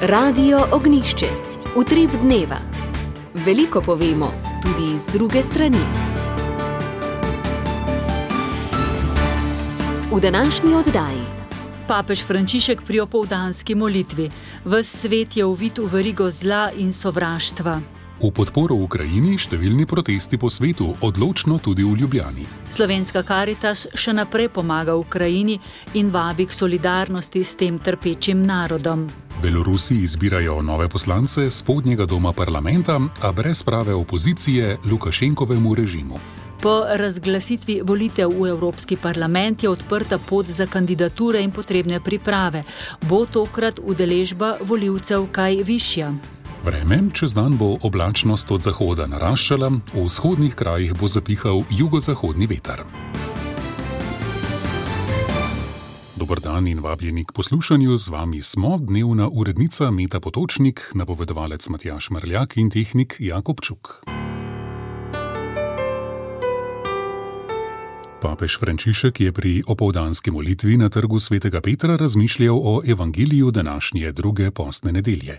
Radio Ognjišče. Utrip dneva. Veliko povemo, tudi iz druge strani. V današnji oddaji. Papež Frančišek pri opoldanski molitvi. Ves svet je uvit v verigo zla in sovraštva. V podporo Ukrajini številni protesti po svetu, odločno tudi v Ljubljani. Slovenska Karitas še naprej pomaga Ukrajini in vabi k solidarnosti s tem trpečim narodom. Belorusi izbirajo nove poslance spodnjega doma parlamenta, a brez prave opozicije Lukašenkovemu režimu. Po razglasitvi volitev v Evropski parlament je odprta pot za kandidature in potrebne priprave. Bo tokrat udeležba volivcev kaj višja? Vreme, čez dan bo oblačnost od zahoda naraščala, v vzhodnih krajih bo zapihal jugozahodni veter. Dober dan in vabljeni k poslušanju, z vami smo dnevna urednica Meta Potočnik, napovedovalec Matjaž Mrljak in tehnik Jakob Čuk. Papež Frančišek je pri opoldanski molitvi na trgu svetega Petra razmišljal o evangeliju današnje druge postne nedelje.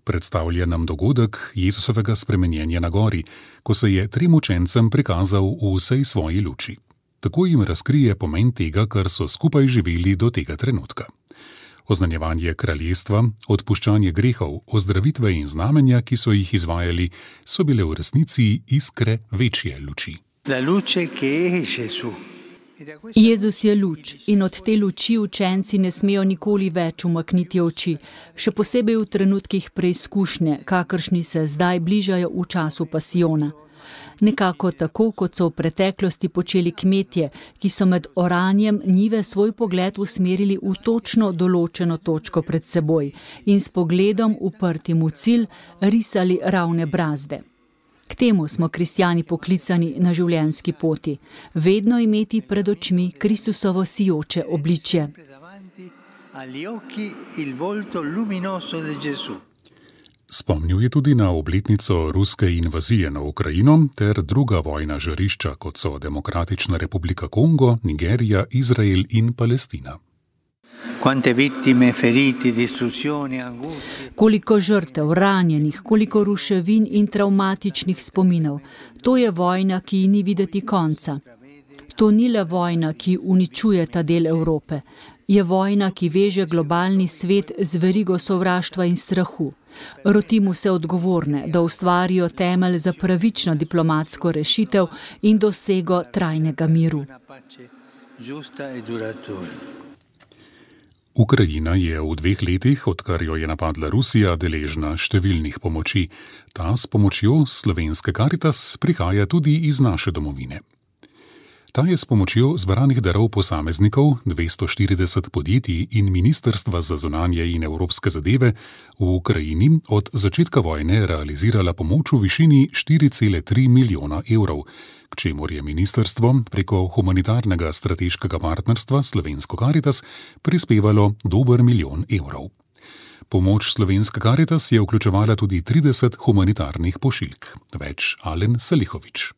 Predstavlja nam dogodek Jezusovega spremenjenja na gori, ko se je trem učencem prikazal v vsej svoji luči. Tako jim razkrije pomen tega, kar so skupaj živeli do tega trenutka. Oznanjevanje kraljestva, odpuščanje grehov, ozdravitve in znamenja, ki so jih izvajali, so bile v resnici iskre večje luči. Jezus je luč in od te luči učenci ne smejo nikoli več umakniti oči, še posebej v trenutkih preizkušnje, kakršni se zdaj bližajo v času pasijona. Nekako tako, kot so v preteklosti počeli kmetje, ki so med oranjem njive svoj pogled usmerili v točno določeno točko pred seboj in s pogledom uprtim v cilj risali ravne brazde. K temu smo kristjani poklicani na življenjski poti, vedno imeti pred očmi Kristusovo sijoče obličje. Spomnil je tudi na obletnico ruske invazije na Ukrajino ter druga vojna žarišča, kot so Demokratična republika Kongo, Nigerija, Izrael in Palestina. Koliko žrtev, ranjenih, koliko ruševin in travmatičnih spominov. To je vojna, ki ji ni videti konca. To ni le vojna, ki uničuje ta del Evrope. Je vojna, ki veže globalni svet z verigo sovraštva in strahu. Rotimo se odgovorne, da ustvarijo temelj za pravično diplomatsko rešitev in dosego trajnega miru. Ukrajina je v 2 letih, odkar jo je napadla Rusija, deležna številnih pomoči. Ta s pomočjo Slovenske Karitas prihaja tudi iz naše domovine. Ta je s pomočjo zberanih darov posameznikov, 240 podjetij in Ministrstva za zunanje in evropske zadeve v Ukrajini od začetka vojne realizirala pomoč v višini 4,3 milijona evrov, k čemur je ministrstvo preko humanitarnega strateškega partnerstva Slovensko Karitas prispevalo dober 1 milijon evrov. Pomoč Slovenske Karitas je vključevala tudi 30 humanitarnih pošiljk. Več Alen Salihovič.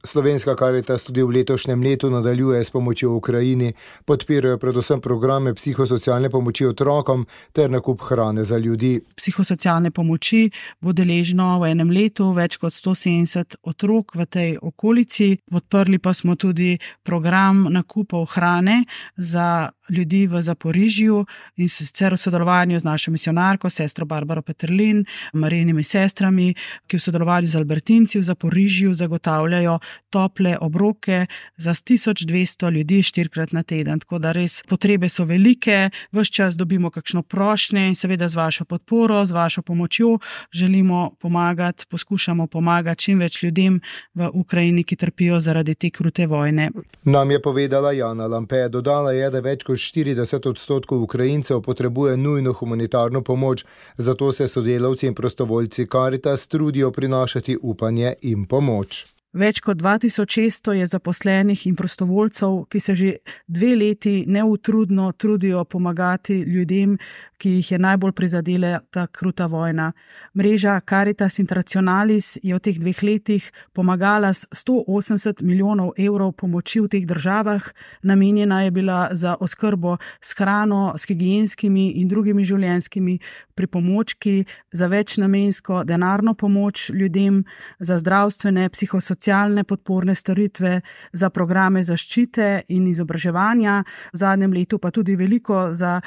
Slovenska Karitas tudi v letošnjem letu nadaljuje s pomočjo Ukrajini, podpirajo predvsem programe psihosocialne pomoči otrokom ter nakup hrane za ljudi. Psihosocialne pomoči bo deležno v enem letu več kot 170 otrok v tej okolici. Podprli pa smo tudi program nakupov hrane za ljudi v Zaporižju in sicer v sodelovanju z našo misionarko, sestro Barbaro Peterlin, Marijinimi sestrami, ki v sodelovanju z Albertinci v Zaporižju zagotavljajo tople obroke za 1200 ljudi 4-krat na teden. Tako da res potrebe so velike, ves čas dobimo kakšno prošnje in seveda z vašo podporo, z vašo pomočjo želimo pomagati, poskušamo pomagati čim več ljudem v Ukrajini, ki trpijo zaradi te krute vojne. Nam je povedala Jana Lampe, dodala je, da več kot 40% Ukrajincev potrebuje nujno humanitarno pomoč, zato se sodelavci in prostovoljci Karitas trudijo prinašati upanje in pomoč. Več kot 2600 je zaposlenih in prostovoljcev, ki se že 2 leti neutrudno trudijo pomagati ljudem, ki jih je najbolj prizadela ta kruta vojna. Mreža Caritas Internationalis je v teh 2 letih pomagala s 180 milijonov evrov pomoči v teh državah. Namenjena je bila za oskrbo s hrano, s higienskimi in drugimi življenjskimi pripomočki, za večnamensko denarno pomoč ljudem, za zdravstvene, psihosocialne podporne storitve, za programe zaščite in izobraževanja. V zadnjem letu pa tudi veliko za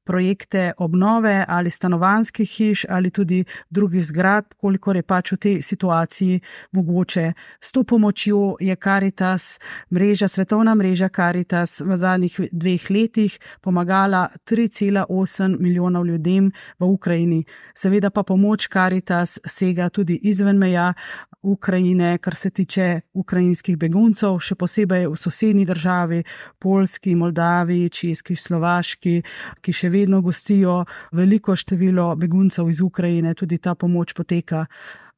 projekte obnove ali stanovanjskih hiš ali tudi drugih zgradb, kolikor je pač v tej situaciji mogoče. S to pomočjo je Caritas, svetovna mreža Caritas v zadnjih 2 letih pomagala 3,8 milijonov ljudem v Ukrajini. Seveda pa pomoč Caritas sega tudi izven meja Ukrajine, kar se tiče ukrajinskih beguncev, še posebej v sosednji državi, Poljski, Moldaviji, Češki, Slovaški, ki še vedno gostijo veliko število beguncev iz Ukrajine, tudi ta pomoč poteka.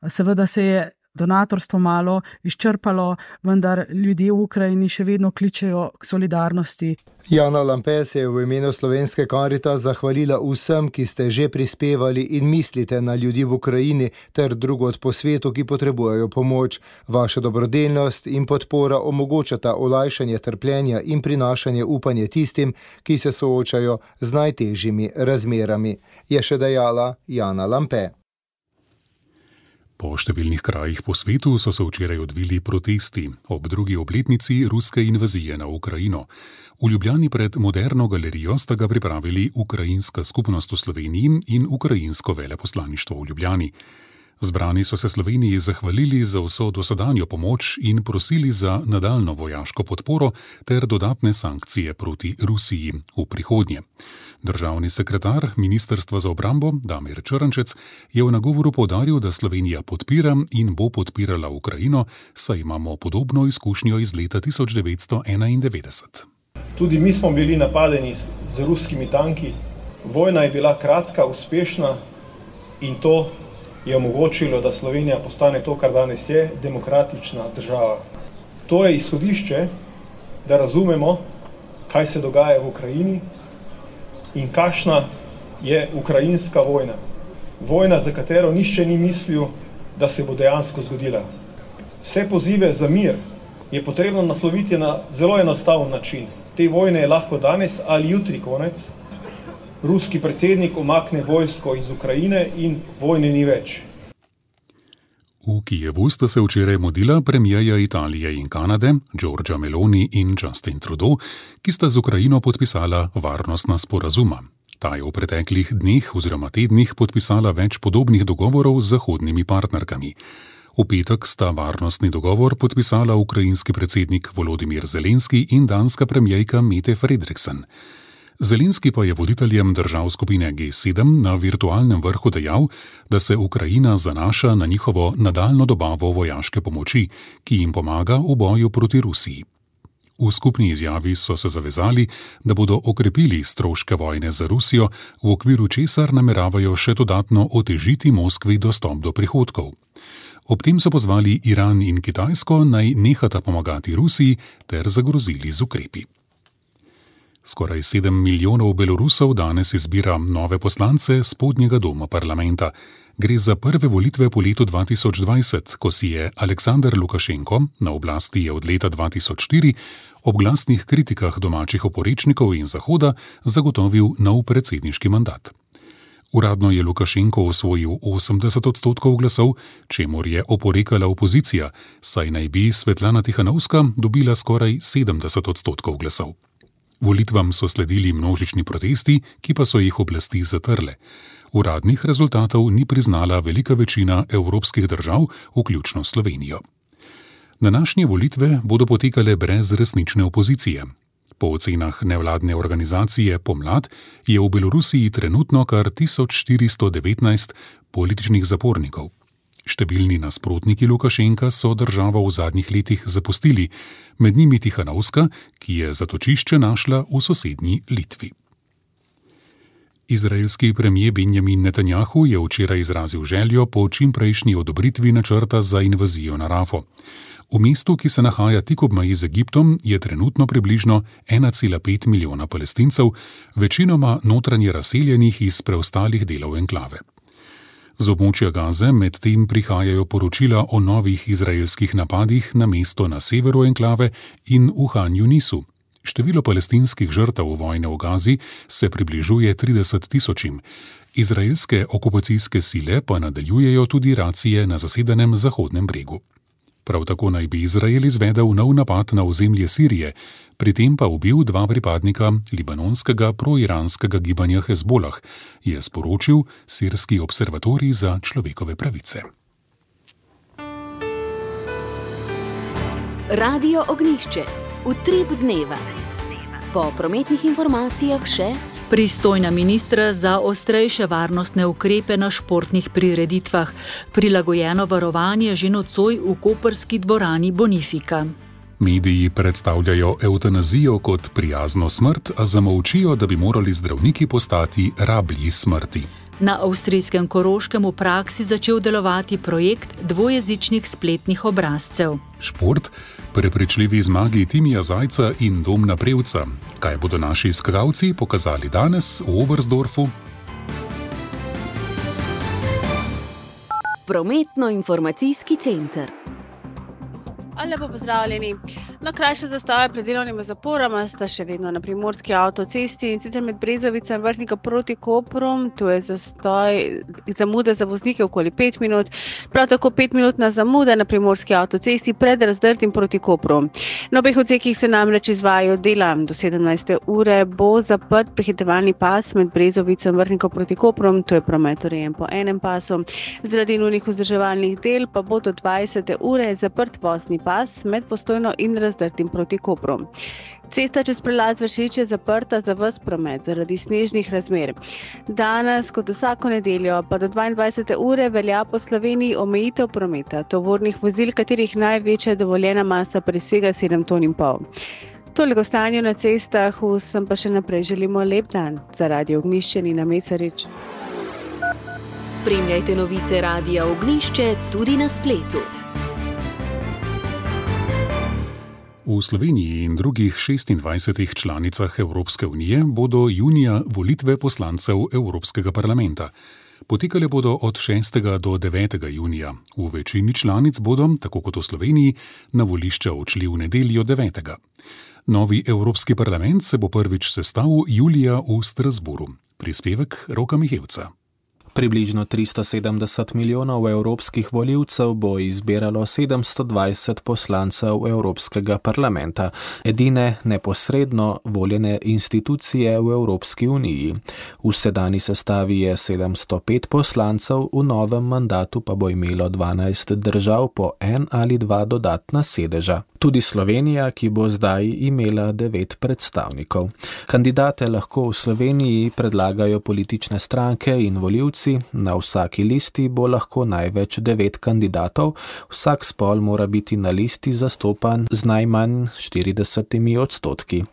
Seveda se je donatorstvo malo izčrpalo, vendar ljudje v Ukrajini še vedno kličejo k solidarnosti. Jana Lampe se je v imenu Slovenske Caritas zahvalila vsem, ki ste že prispevali in mislite na ljudi v Ukrajini ter drugod po svetu, ki potrebujejo pomoč. Vaša dobrodelnost in podpora omogočata olajšanje trpljenja in prinašanje upanja tistim, ki se soočajo z najtežjimi razmerami, je še dejala Jana Lampe. Po številnih krajih po svetu so se včeraj odvili protesti ob 2. obletnici ruske invazije na Ukrajino. V Ljubljani pred Moderno galerijo sta ga pripravili ukrajinska skupnost v Sloveniji in ukrajinsko veleposlaništvo v Ljubljani. Zbrani so se Sloveniji zahvalili za vso dosedanjo pomoč in prosili za nadaljnjo vojaško podporo ter dodatne sankcije proti Rusiji v prihodnje. Državni sekretar Ministrstva za obrambo Damir Črnčec je v nagovoru poudaril, da Slovenija podpira in bo podpirala Ukrajino, saj imamo podobno izkušnjo iz leta 1991. Tudi mi smo bili napadeni z ruskimi tanki. Vojna je bila kratka, uspešna in to je omogočilo, da Slovenija postane to, kar danes je, demokratična država. To je izhodišče, da razumemo, kaj se dogaja v Ukrajini in kakšna je ukrajinska vojna. Vojna, za katero nihče ni mislil, da se bo dejansko zgodila. Vse pozive za mir je potrebno nasloviti na zelo enostaven način. Te vojne je lahko danes ali jutri konec. Ruski predsednik umakne vojsko iz Ukrajine in vojne ni več. V Kijevu sta se včeraj mudila premierja Italije in Kanade, Giorgia Meloni in Justin Trudeau, ki sta z Ukrajino podpisala varnostna sporazuma. Ta je v preteklih dneh oziroma tednih podpisala več podobnih dogovorov z zahodnimi partnerkami. V petek sta varnostni dogovor podpisala ukrajinski predsednik Volodymyr Zelenski in danska premierka Mette Frederiksen. Zelenski pa je voditeljem držav skupine G7 na virtualnem vrhu dejal, da se Ukrajina zanaša na njihovo nadaljnjo dobavo vojaške pomoči, ki jim pomaga v boju proti Rusiji. V skupni izjavi so se zavezali, da bodo okrepili stroške vojne za Rusijo, v okviru česar nameravajo še dodatno otežiti Moskvi dostop do prihodkov. Ob tem so pozvali Iran in Kitajsko, naj nehata pomagati Rusiji ter zagrozili z ukrepi. Skoraj 7 milijonov Belorusov danes izbira nove poslance spodnjega doma parlamenta. Gre za prve volitve po letu 2020, ko si je Aleksandar Lukašenko, na oblasti je od leta 2004, ob glasnih kritikah domačih oporečnikov in Zahoda zagotovil nov predsedniški mandat. Uradno je Lukašenko osvojil 80% glasov, čemur je oporekala opozicija, saj naj bi Svetlana Tihanovska dobila skoraj 70% glasov. Volitvam so sledili množični protesti, ki pa so jih oblasti zatrle. Uradnih rezultatov ni priznala velika večina evropskih držav, vključno Slovenijo. Današnje volitve bodo potekale brez resnične opozicije. Po ocenah nevladne organizacije Pomlad je v Belorusiji trenutno kar 1419 političnih zapornikov. Številni nasprotniki Lukašenka so državo v zadnjih letih zapustili, med njimi Tihanovska, ki je zatočišče našla v sosednji Litvi. Izraelski premier Benjamin Netanjahu je včeraj izrazil željo po čimprejšnji odobritvi načrta za invazijo na Rafo. V mestu, ki se nahaja tik ob meji z Egiptom, je trenutno približno 1,5 milijona Palestincev, večinoma notranje razseljenih iz preostalih delov enklave. Z območja Gaze medtem prihajajo poročila o novih izraelskih napadih na mesto na severu enklave in v Han Junisu. Število palestinskih žrtev vojne v Gazi se približuje 30 tisočim. Izraelske okupacijske sile pa nadaljujejo tudi racije na zasedenem Zahodnem bregu. Prav tako naj bi Izrael izvedel nov napad na ozemlje Sirije, pri tem pa ubil 2 pripadnika libanonskega proiranskega gibanja Hezbolah, je sporočil Sirski observatorij za človekove pravice. Radio Ognjišče. Utrip dneva. Po prometnih informacijah še pristojna ministra za ostrejše varnostne ukrepe na športnih prireditvah, prilagojeno varovanje že nocoj v koprski dvorani Bonifika. Mediji predstavljajo evtanazijo kot prijazno smrt, a zamolčijo, da bi morali zdravniki postati rablji smrti. Na avstrijskem Koroškem v praksi začel delovati projekt dvojezičnih spletnih obrazcev. Šport, prepričljivi zmagi Timija Zajca in Domna Prevca. Kaj bodo naši skakalci pokazali danes v Oberstdorfu? Prometno-informacijski center. Lepo pozdravljeni. Krajše zastave pred delovnimi zaporama sta še vedno na primorski avtocesti in sicer med Brezovico in Vrhnika proti Kopru. Tu je zamuda za voznike okoli 5 minut, prav tako 5-minutna zamuda na primorski avtocesti pred Razdrtim proti Kopru. Na obeh odsekih se namreč izvajajo dela. Do 17. ure bo zaprt prehitevalni pas med Brezovico in Vrhnikom proti Kopru, tu je promet urejen po enem pasu. Zaradi nujnih vzdrževalnih del pa bo do 20. ure zaprt vozni pas med Postojno in Razdrtim proti Kopru. Cesta čez prelaz Vršič je zaprta za ves promet zaradi snežnih razmer. Danes, kot vsako nedeljo, pa do 22. ure velja po Sloveniji omejitev prometa tovornih vozil, katerih največja dovoljena masa presega 7,5 ton. Toliko stanju na cestah, vsem pa še naprej želimo lep dan. Za Radio Ognjišče Nina Mesarič. Spremljajte novice Radia Ognjišče tudi na spletu. V Sloveniji in drugih 26 članicah Evropske unije bodo junija volitve poslancev Evropskega parlamenta. Potekale bodo od 6. do 9. junija. V večini članic bodo, tako kot v Sloveniji, na volišča odšli v nedeljo 9. Novi Evropski parlament se bo prvič sestal julija v Strasbourgu. Prispevek Roka Mihevca. Približno 370 milijonov evropskih volivcev bo izbiralo 720 poslancev Evropskega parlamenta, edine neposredno voljene institucije v Evropski uniji. V sedanji sestavi je 705 poslancev, v novem mandatu pa bo imelo 12 držav po 1 ali 2 dodatna sedeža. Tudi Slovenija, ki bo zdaj imela 9 predstavnikov. Kandidate lahko v Sloveniji predlagajo politične stranke in volivci. Na vsaki listi bo lahko največ 9 kandidatov, vsak spol mora biti na listi zastopan z najmanj 40%.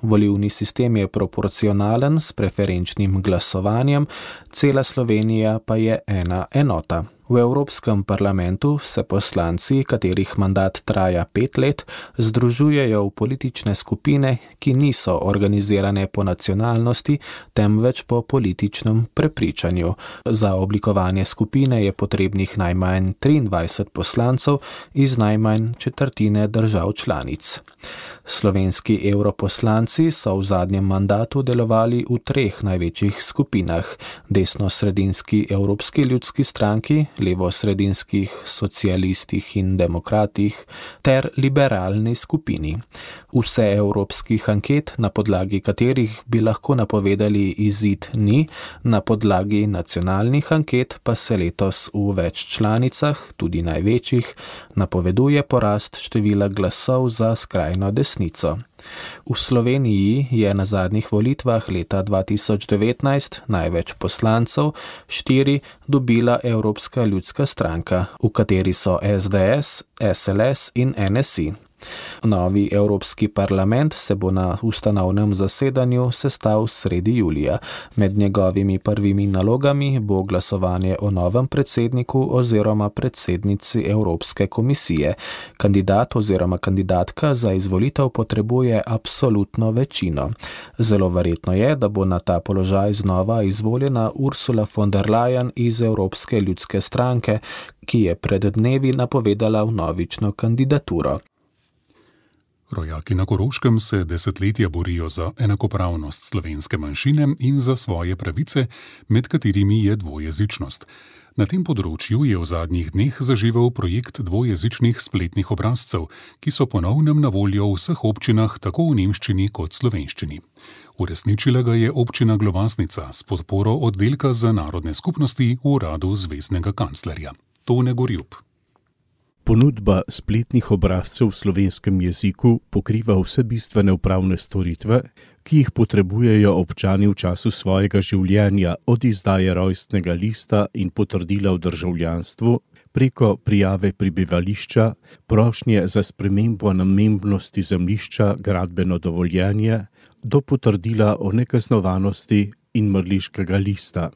Volilni sistem je proporcionalen s preferenčnim glasovanjem, cela Slovenija pa je ena enota. V Evropskem parlamentu se poslanci, katerih mandat traja 5 let, združujejo v politične skupine, ki niso organizirane po nacionalnosti, temveč po političnem prepričanju. Za oblikovanje skupine je potrebnih najmanj 23 poslancev iz najmanj četrtine držav članic. Slovenski evroposlanci so v zadnjem mandatu delovali v 3 največjih skupinah: desno-sredinski Evropski ljudski stranki, levo-sredinskih socialistih in demokratih ter liberalni skupini. Vse evropskih anket, na podlagi katerih bi lahko napovedali izid, ni, na podlagi nacionalnih anket pa se letos v več članicah, tudi največjih, napoveduje porast števila glasov za skrajno desnico. V Sloveniji je na zadnjih volitvah leta 2019 največ poslancev, 4, dobila Evropska ljudska stranka, v kateri so SDS, SLS in NSI. Novi Evropski parlament se bo na ustanovnem zasedanju sestal sredi julija. Med njegovimi prvimi nalogami bo glasovanje o novem predsedniku oziroma predsednici Evropske komisije. Kandidat oziroma kandidatka za izvolitev potrebuje absolutno večino. Zelo verjetno je, da bo na ta položaj znova izvoljena Ursula von der Leyen iz Evropske ljudske stranke, ki je pred dnevi napovedala vnovično kandidaturo. Rojaki na Koroškem se desetletja borijo za enakopravnost slovenske manjšine in za svoje pravice, med katerimi je dvojezičnost. Na tem področju je v zadnjih dneh zaživel projekt dvojezičnih spletnih obrazcev, ki so ponovnem na voljo v vseh občinah, tako v nemščini kot slovenščini. Uresničila ga je občina Globasnica s podporo oddelka za narodne skupnosti v uradu zveznega kanclerja. Tone Gorjup. Ponudba spletnih obrazcev v slovenskem jeziku pokriva vse bistvene upravne storitve, ki jih potrebujejo občani v času svojega življenja, od izdaje rojstnega lista in potrdila o državljanstvu, preko prijave prebivališča, prošnje za spremembo namembnosti zemljišča, gradbeno dovoljenje, do potrdila o nekaznovanosti in mrliškega lista.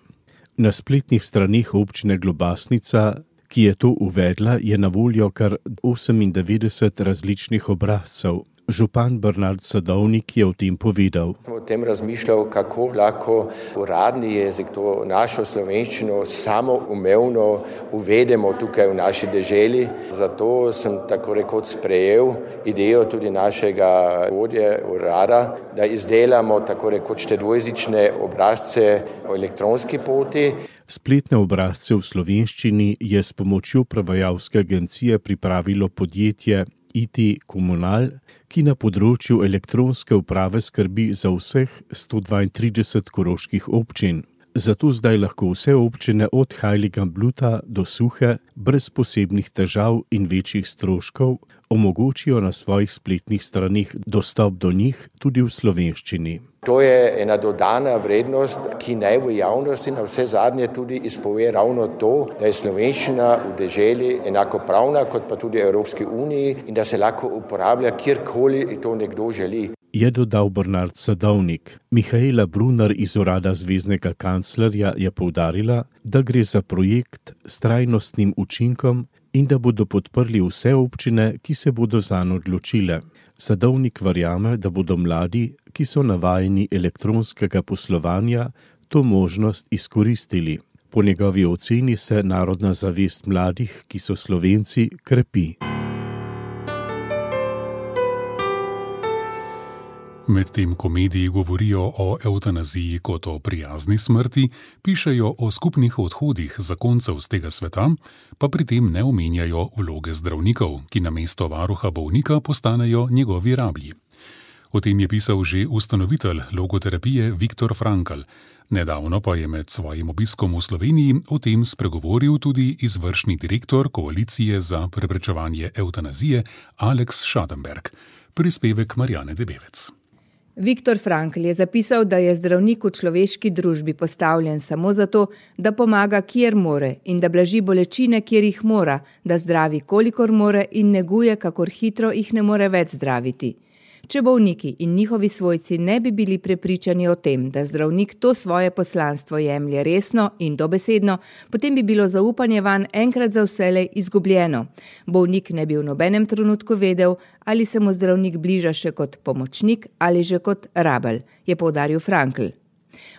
Na spletnih straneh občine Globasnica, ki je to uvedla, je na voljo kar 98 različnih obrazcev. Župan Bernard Sadovnik je o tem povedal. O tem razmišljal, kako lahko uradni jezik, to našo slovenščino, samoumevno uvedemo tukaj v naši deželi. Zato sem tako rekoč sprejel idejo tudi našega vodje urada, da izdelamo tako rekoč te dvojezične obrazce o elektronski poti. Spletne obrazce v slovenščini je s pomočjo prevajalske agencije pripravilo podjetje IT Komunal, ki na področju elektronske uprave skrbi za vseh 132 koroških občin. Zato zdaj lahko vse občine od Heiligenbluta do Suhe brez posebnih težav in večjih stroškov omogočijo na svojih spletnih straneh dostop do njih tudi v slovenščini. To je ena dodana vrednost, ki naj v javnosti na vse zadnje tudi izpove ravno to, da je slovenščina v deželi enakopravna kot pa tudi Evropski uniji in da se lahko uporablja kjerkoli to nekdo želi. Je dodal Bernard Sadovnik. Mihaela Brunner iz urada zveznega kanclerja je poudarila, da gre za projekt s trajnostnim učinkom in da bodo podprli vse občine, ki se bodo zanj odločile. Sadovnik verjame, da bodo mladi, ki so navajeni elektronskega poslovanja, to možnost izkoristili. Po njegovi oceni se narodna zavest mladih, ki so Slovenci, krepi. Medtem ko mediji govorijo o evtanaziji kot o prijazni smrti, pišejo o skupnih odhodih zakoncev z tega sveta, pa pri tem ne omenjajo vloge zdravnikov, ki namesto varuha bolnika postanejo njegovi rablji. O tem je pisal že ustanovitelj logoterapije Viktor Frankl. Nedavno pa je med svojim obiskom v Sloveniji o tem spregovoril tudi izvršni direktor Koalicije za preprečevanje evtanazije Alex Schadenberg. Prispevek Marjane Debevec. Viktor Frankl je zapisal, da je zdravnik v človeški družbi postavljen samo zato, da pomaga, kjer more in da blaži bolečine, kjer jih mora, da zdravi, kolikor more in neguje, kakor hitro jih ne more več zdraviti. Če bolniki in njihovi svojci ne bi bili prepričani o tem, da zdravnik to svoje poslanstvo jemlje resno in dobesedno, potem bi bilo zaupanje vanj enkrat za vselej izgubljeno. Bolnik ne bi v nobenem trenutku vedel, ali se mu zdravnik bliža še kot pomočnik ali že kot rabelj, je poudaril Frankl.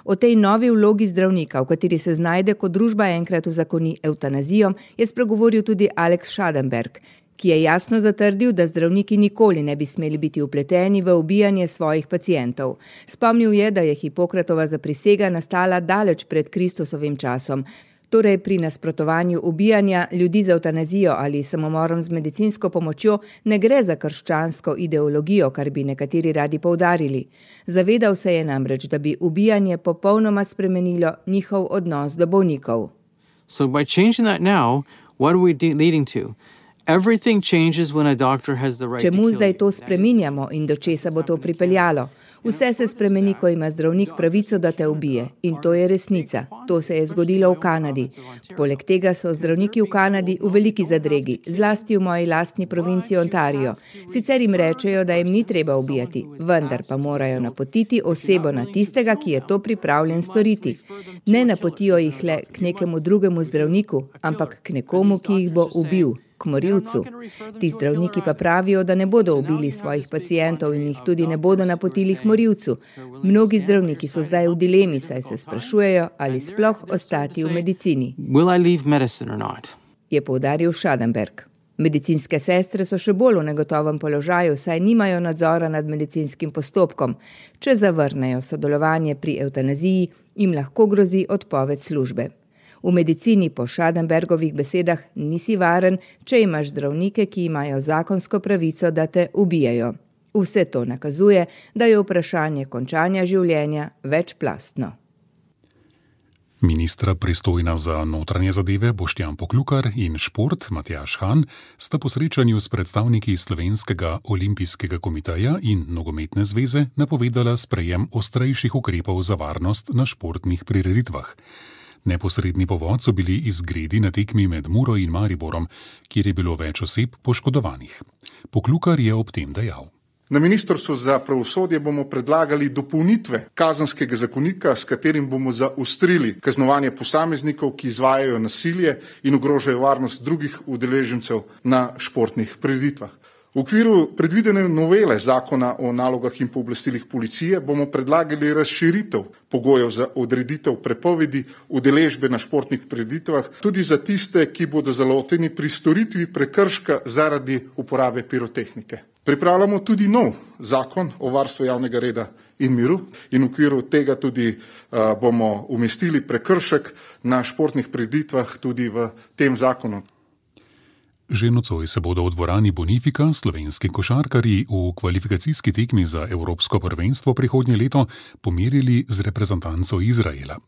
O tej novi vlogi zdravnika, v kateri se znajde, ko družba enkrat uzakoni evtanazijo, je spregovoril tudi Alex Schadenberg, ki je jasno zatrdil, da zdravniki nikoli ne bi smeli biti vpleteni v ubijanje svojih pacientov. Spomnil je, da je Hipokratova zaprisega nastala daleč pred Kristusovim časom, torej pri nasprotovanju ubijanja ljudi z evtanazijo ali samomorom z medicinsko pomočjo ne gre za krščansko ideologijo, kar bi nekateri radi poudarili. Zavedal se je namreč, da bi ubijanje popolnoma spremenilo njihov odnos do bolnikov. So by changing that now, what are we leading to? Čemu zdaj to spreminjamo in do česa bo to pripeljalo? Vse se spremeni, ko ima zdravnik pravico, da te ubije. In to je resnica. To se je zgodilo v Kanadi. Poleg tega so zdravniki v Kanadi v veliki zadregi, zlasti v moji lastni provinciji Ontario. Sicer jim rečejo, da jim ni treba ubijati, vendar pa morajo napotiti osebo na tistega, ki je to pripravljen storiti. Ne napotijo jih le k nekemu drugemu zdravniku, ampak k nekomu, ki jih bo ubil, k morilcu. Ti zdravniki pa pravijo, da ne bodo ubili svojih pacientov in jih tudi ne bodo napotili k morilcu. Mnogi zdravniki so zdaj v dilemi, saj se sprašujejo, ali sploh ostati v medicini. Je poudaril Schadenberg. Medicinske sestre so še bolj v negotovem položaju, saj nimajo nadzora nad medicinskim postopkom. Če zavrnejo sodelovanje pri evtanaziji, jim lahko grozi odpoved službe. V medicini po Schadenbergovih besedah nisi varen, če imaš zdravnike, ki imajo zakonsko pravico, da te ubijajo. Vse to nakazuje, da je vprašanje končanja življenja večplastno. Ministra pristojna za notranje zadeve Boštjan Poklukar in šport Matjaž Han sta po srečanju s predstavniki Slovenskega olimpijskega komiteja in Nogometne zveze napovedala sprejem ostrejših ukrepov za varnost na športnih prireditvah. Neposredni povod so bili izgredi na tekmi med Muro in Mariborom, kjer je bilo več oseb poškodovanih. Poklukar je ob tem dejal. Na Ministrstvu za pravosodje bomo predlagali dopolnitve kazenskega zakonika, s katerim bomo zaostrili kaznovanje posameznikov, ki izvajajo nasilje in ogrožajo varnost drugih udeležencev na športnih prireditvah. V okviru predvidene novele zakona o nalogah in pooblastilih policije bomo predlagali razširitev pogojev za odreditev prepovedi udeležbe na športnih prireditvah tudi za tiste, ki bodo zaloteni pri storitvi prekrška zaradi uporabe pirotehnike. Pripravljamo tudi nov zakon o varstvu javnega reda in miru in v okviru tega tudi bomo umestili prekršek na športnih prireditvah tudi v tem zakonu. Že nocoj se bodo v dvorani Bonifika slovenski košarkarji v kvalifikacijski tekmi za Evropsko prvenstvo prihodnje leto pomerili z reprezentanco Izraela.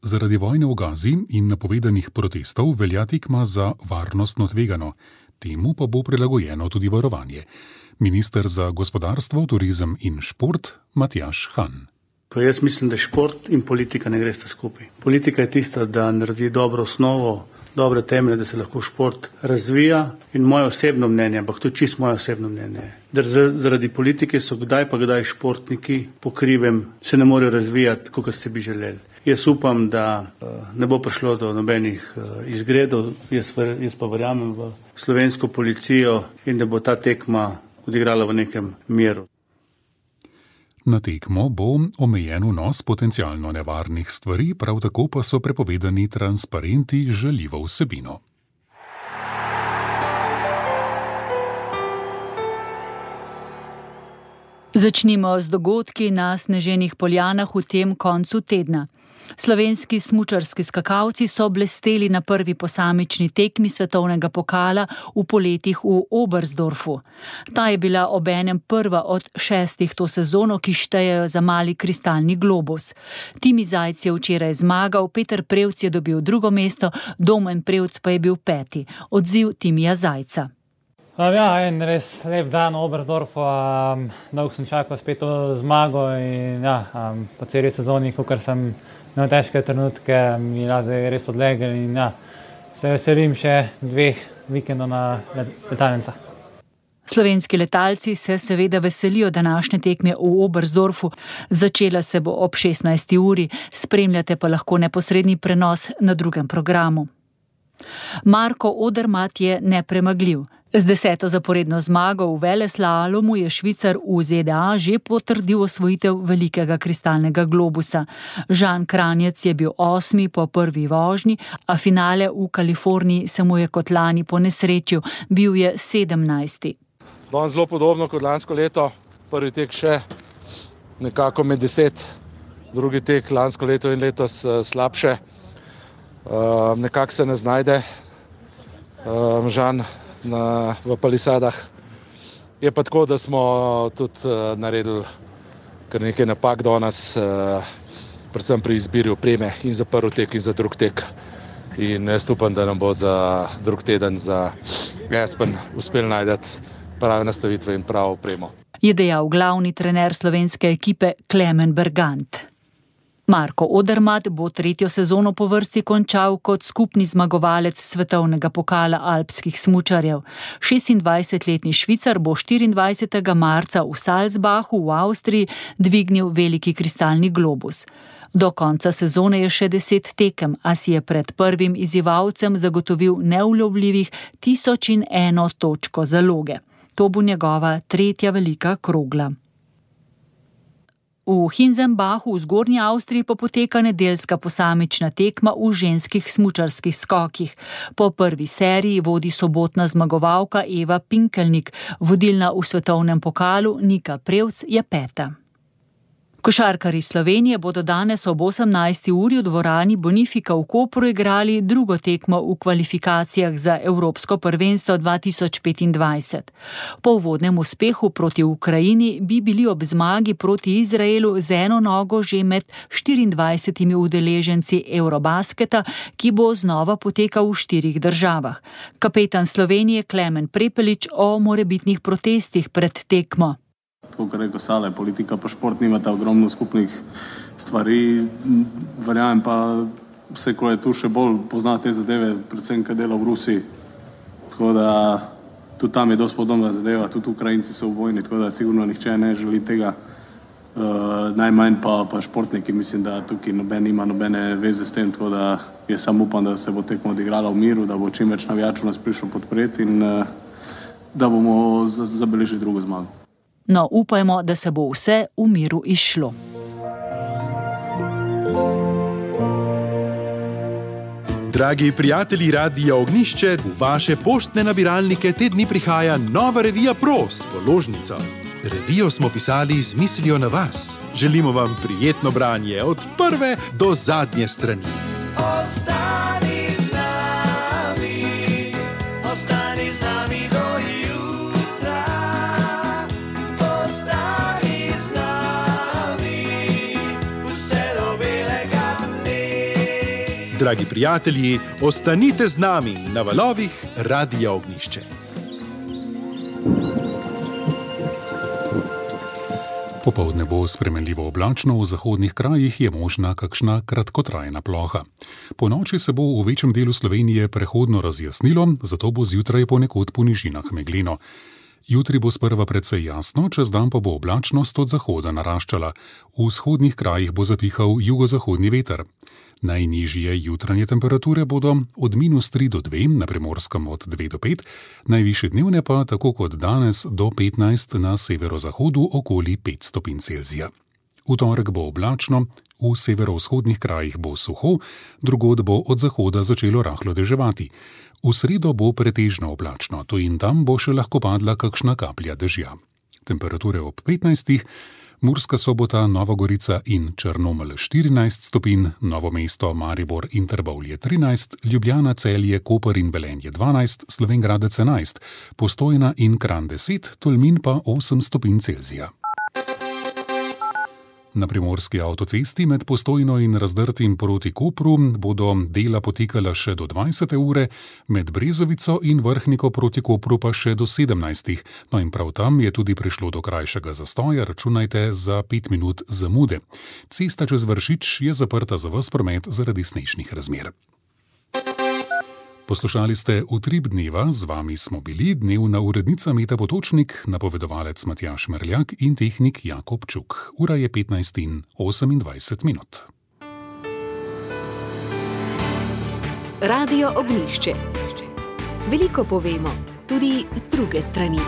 Zaradi vojne v Gazi in napovedanih protestov velja tekma za varnostno tvegano. Temu pa bo prilagojeno tudi varovanje. Minister za gospodarstvo, turizem in šport Matjaž Han. Jaz mislim, da šport in politika ne gresta skupaj. Politika je tista, da naredi dobro osnovo, dobre temelje, da se lahko šport razvija in moje osebno mnenje, ampak to je čisto moje osebno mnenje. Da zaradi politike so kdaj pa kdaj športniki po krivem se ne morejo razvijati, kot se bi želeli. Jaz upam, da ne bo prišlo do nobenih izgredov, jaz pa verjamem v slovensko policijo in da bo ta tekma odigrala v nekem miru. Na tekmo bo omejen vnos potencialno nevarnih stvari, prav tako pa so prepovedani transparenti z žaljivo vsebino. Začnimo z dogodki na sneženih Poljanah v tem koncu tedna. Slovenski smučarski skakalci so blesteli na prvi posamični tekmi svetovnega pokala v poletih v Oberstdorfu. Ta je bila obenem prva od 6 to sezono, ki štejejo za mali kristalni globus. Timi Zajc je včeraj zmagal, Peter Prevc je dobil drugo mesto, Domen Prevc pa je bil 5. Odziv Timija Zajca. En res lep dan v Oberstdorfu, dolgo sem čakal spet to zmago in po celi sezoni, kakor sem imel težke trenutke, mi je res odlegel in se veselim še 2 vikendov na letalnicah. Slovenski letalci se seveda veselijo današnje tekme v Oberstdorfu. Začela se bo ob 16. uri, spremljate pa lahko neposredni prenos na drugem programu. Marko Odermatt je nepremagljiv. Z 10. zaporedno zmago v veleslalomu je Švicar v ZDA že potrdil osvojitev velikega kristalnega globusa. Žan Kranjec je bil 8. po prvi vožnji, a finale v Kaliforniji se mu je kot lani ponesrečil, bil je 17. Danes zelo podobno kot lansko leto, prvi tek še nekako med 10, drugi tek lansko leto in letos slabše. Nekako se ne znajde Žan v palisadah. Je pa tako, da smo tudi naredili kar nekaj napak danes, predvsem pri izbiri opreme in za prvi tek in za drug tek. In jaz upam, da nam bo za drug teden za Aspen uspel najti prave nastavitve in pravo opremo. je dejal glavni trener slovenske ekipe Klemen Bergant. Marko Odermatt bo tretjo sezono po vrsti končal kot skupni zmagovalec svetovnega pokala alpskih smučarjev. 26-letni Švicar bo 24. marca v Salzbachu v Avstriji dvignil veliki kristalni globus. Do konca sezone je še 10 tekem, a si je pred prvim izzivalcem zagotovil neulovljivih 1001 točko zaloge. To bo njegova tretja velika krogla. V Hinzenbachu v Zgornji Avstriji pa poteka nedeljska posamična tekma v ženskih smučarskih skokih. Po prvi seriji vodi sobotna zmagovalka Eva Pinkelnik, vodilna v svetovnem pokalu Nika Prevc je peta. Košarkarji Slovenije bodo danes ob 18. uri v dvorani Bonifika v Kopru igrali drugo tekmo v kvalifikacijah za Evropsko prvenstvo 2025. Po uvodnem uspehu proti Ukrajini bi bili ob zmagi proti Izraelu z eno nogo že med 24 udeleženci Eurobasketa, ki bo znova potekal v 4 državah. Kapetan Slovenije Klemen Prepelič o morebitnih protestih pred tekmo. Tako, kar rekel Sale, politika pa šport nimata ogromno skupnih stvari. Verjamem pa, vse, ko je tu še bolj pozna te zadeve, predvsem, kaj dela v Rusiji. Tako da tudi tam je dosti podobna zadeva, tudi Ukrajinci so v vojni, tako da sigurno nihče ne želi tega. Najmanj pa športniki, mislim, da tukaj nima nobene veze s tem, tako da jaz sam upam, da se bo tekmo odigrala v miru, da bo čim več navijačev nas prišlo podpreti in da bomo zabeležili drugo zmago. No, upajmo, da se bo vse v miru izšlo. Dragi prijatelji Radia Ognjišče, v vaše poštne nabiralnike te dni prihaja nova revija Pro s položnico. Revijo smo pisali z mislijo na vas. Želimo vam prijetno branje od prve do zadnje strani. Dragi prijatelji, ostanite z nami na valovih Radia Ognjišče. Popoldne bo spremenljivo oblačno, v zahodnih krajih je možna kakšna kratkotrajna ploha. Ponoči se bo v večjem delu Slovenije prehodno razjasnilo, zato bo zjutraj ponekod po nižinah megleno. Jutri bo sprva precej jasno, čez dan pa bo oblačnost od zahoda naraščala. V vzhodnih krajih bo zapihal jugozahodni veter. Najnižje jutranje temperature bodo od -3 do 2, na Primorskem od 2 do 5, najvišje dnevne pa, tako kot danes, do 15 na severozahodu okoli 5 stopinj Celzija. V torek bo oblačno, v severovzhodnih krajih bo suho, drugod bo od zahoda začelo rahlo deževati. V sredo bo pretežno oblačno, tu in tam bo še lahko padla kakšna kaplja dežja. Temperature ob 15, Murska Sobota, Nova Gorica in Črnomelj 14 stopinj, Novo mesto, Maribor in Trbovlje 13, Ljubljana, Celje, Koper in Velenje 12, Slovenj Gradec 11, Postojna in Kranj 10, Tolmin pa 8 stopinj Celzija. Na primorski avtocesti med Postojno in Razdrtim proti Kopru bodo dela potekala še do 20. ure, med Brezovico in Vrhniko proti Kopru pa še do 17. No in prav tam je tudi prišlo do krajšega zastoja, računajte za 5 minut zamude. Cesta čez Vršič je zaprta za ves promet zaradi snežnih razmer. Poslušali ste Utrip dneva, z vami smo bili dnevna urednica Meta Potočnik, napovedovalec Matjaž Merljak in tehnik Jakob Čuk. Ura je 15:28. Radio Ognjišče. Veliko povemo, tudi z druge strani.